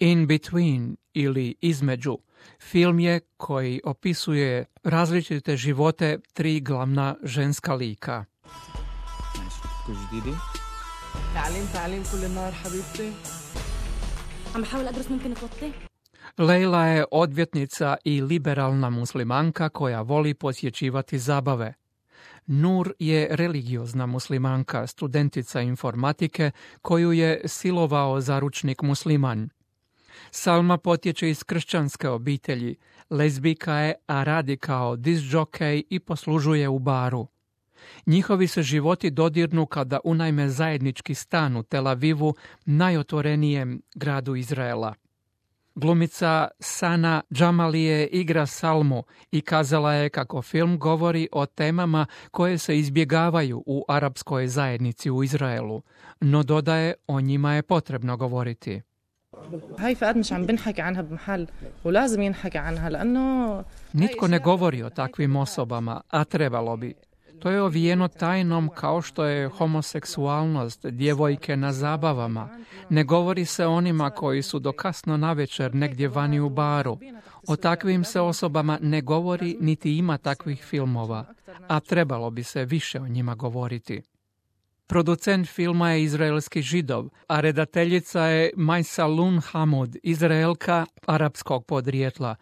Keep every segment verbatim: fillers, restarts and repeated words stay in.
In Between ili Između film je koji opisuje različite živote tri glavna ženska lika. Leila je odvjetnica i liberalna muslimanka koja voli posjećivati zabave. Nur je religiozna muslimanka, studentica informatike koju je silovao zaručnik musliman. Salma potječe iz kršćanske obitelji, lezbijka je, a radi kao disc-jockey i poslužuje u baru. Njihovi se životi dodirnu kada unajme zajednički stan u Tel Avivu, najotvorenijem gradu Izraela. Glumica Sana Džamalije igra Salmu i kazala je kako film govori o temama koje se izbjegavaju u arapskoj zajednici u Izraelu, no dodaje o njima je potrebno govoriti. Nitko ne govori o takvim osobama, a trebalo bi. To je ovijeno tajnom kao što je homoseksualnost, djevojke na zabavama. Ne govori se o onima koji su do kasno navečer negdje vani u baru. O takvim se osobama ne govori niti ima takvih filmova, a trebalo bi se više o njima govoriti. Producent filma je izraelski Židov, a redateljica je Maysalun Hamud, Izraelka arapskog podrijetla.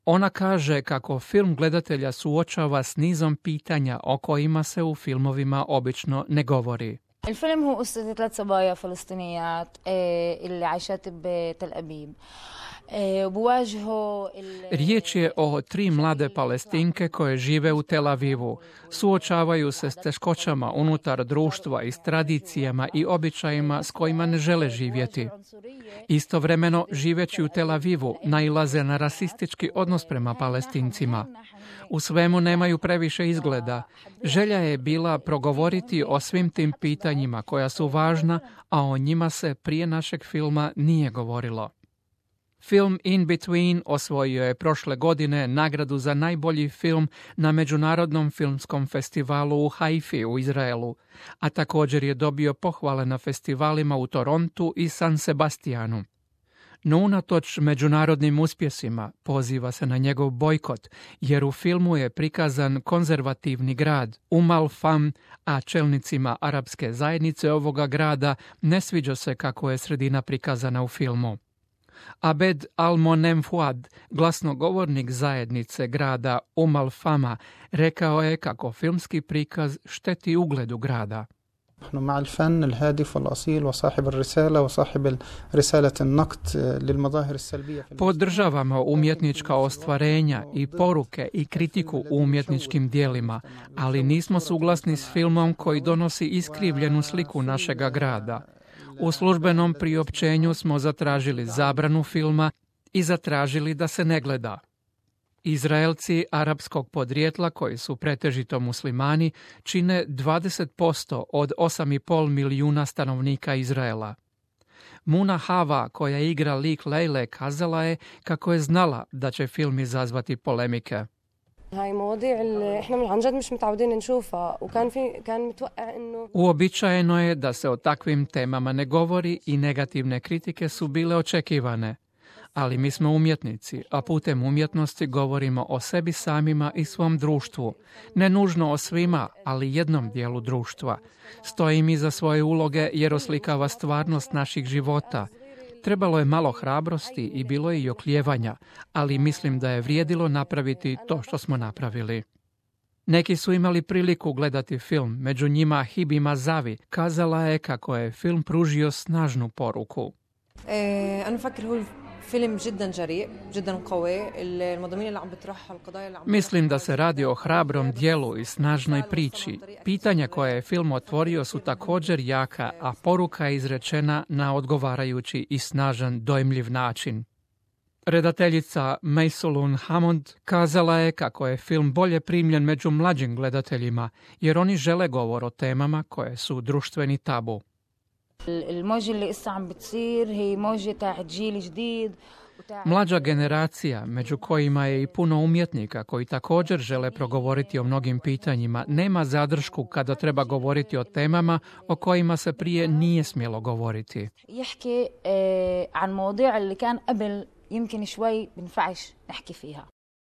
Ona kaže kako film gledatelja suočava s nizom pitanja o kojima se u filmovima obično ne govori. الفيلم هو قصة ثلاث صبايا فلسطينيات اللي عايشات بتل أبيب. Riječ je o tri mlade Palestinke koje žive u Tel Avivu. Suočavaju se s teškoćama unutar društva i s tradicijama i običajima s kojima ne žele živjeti. Istovremeno, živeći u Tel Avivu, nailaze na rasistički odnos prema Palestincima. U svemu nemaju previše izgleda. Želja je bila progovoriti o svim tim pitanjima koja su važna, a o njima se prije našeg filma nije govorilo. Film In Between osvojio je prošle godine nagradu za najbolji film na Međunarodnom filmskom festivalu u Haifi u Izraelu, a također je dobio pohvale na festivalima u Torontu i San Sebastianu. No unatoč međunarodnim uspjesima poziva se na njegov bojkot, jer u filmu je prikazan konzervativni grad Umm al-Fahm, a čelnicima arapske zajednice ovoga grada ne sviđa se kako je sredina prikazana u filmu. Abed Al-Monem Fuad, glasnogovornik zajednice grada Umm al-Fahma, rekao je kako filmski prikaz šteti ugledu grada. نحن مع الفن الهادف والأصيل وصاحب الرسالة وصاحب رسالة النقد للمظاهر السلبية. Podržavamo umjetnička ostvarenja i poruke i kritiku u umjetničkim dijelima, ali nismo suglasni s filmom koji donosi iskrivljenu sliku našega grada. U službenom priopćenju smo zatražili zabranu filma i zatražili da se ne gleda. Izraelci arapskog podrijetla, koji su pretežito muslimani, čine dvadeset posto od osam i pol milijuna stanovnika Izraela. Muna Hava, koja igra lik Lejle, kazala je kako je znala da će film izazvati polemike. Uobičajeno je da se o takvim temama ne govori i negativne kritike su bile očekivane. Ali mi smo umjetnici, a putem umjetnosti govorimo o sebi samima i svom društvu. Ne nužno o svima, ali jednom dijelu društva. Stojim iza svoje uloge jer oslikava stvarnost naših života. Trebalo je malo hrabrosti i bilo je i oklijevanja, ali mislim da je vrijedilo napraviti to što smo napravili. Neki su imali priliku gledati film, među njima Hibi Mazavi kazala je kako je film pružio snažnu poruku. E, فيلم جدا جريء جدا قوي المضامين اللي عم بتطرحها القضايا اللي عم Mislim da se radi o hrabrom dijelu i snažnoj priči. Pitanja koje je film otvorio su također jaka, a poruka je izrečena na odgovarajući i snažan dojmljiv način. Redateljica Maysalun Hamud kazala je kako je film bolje primljen među mlađim gledateljima, jer oni žele govor o temama koje su društveni tabu. الموجة اللي قصة عم بتصير هي موجة تاع جيل جديد. Mlađa generacija, među kojima je i puno umjetnika koji također žele progovoriti o mnogim pitanjima, nema zadršku kada treba govoriti o temama o kojima se prije nije smjelo govoriti. يحكي عن مواضيع اللي كان قبل يمكن شوي بنفعش نحكي فيها.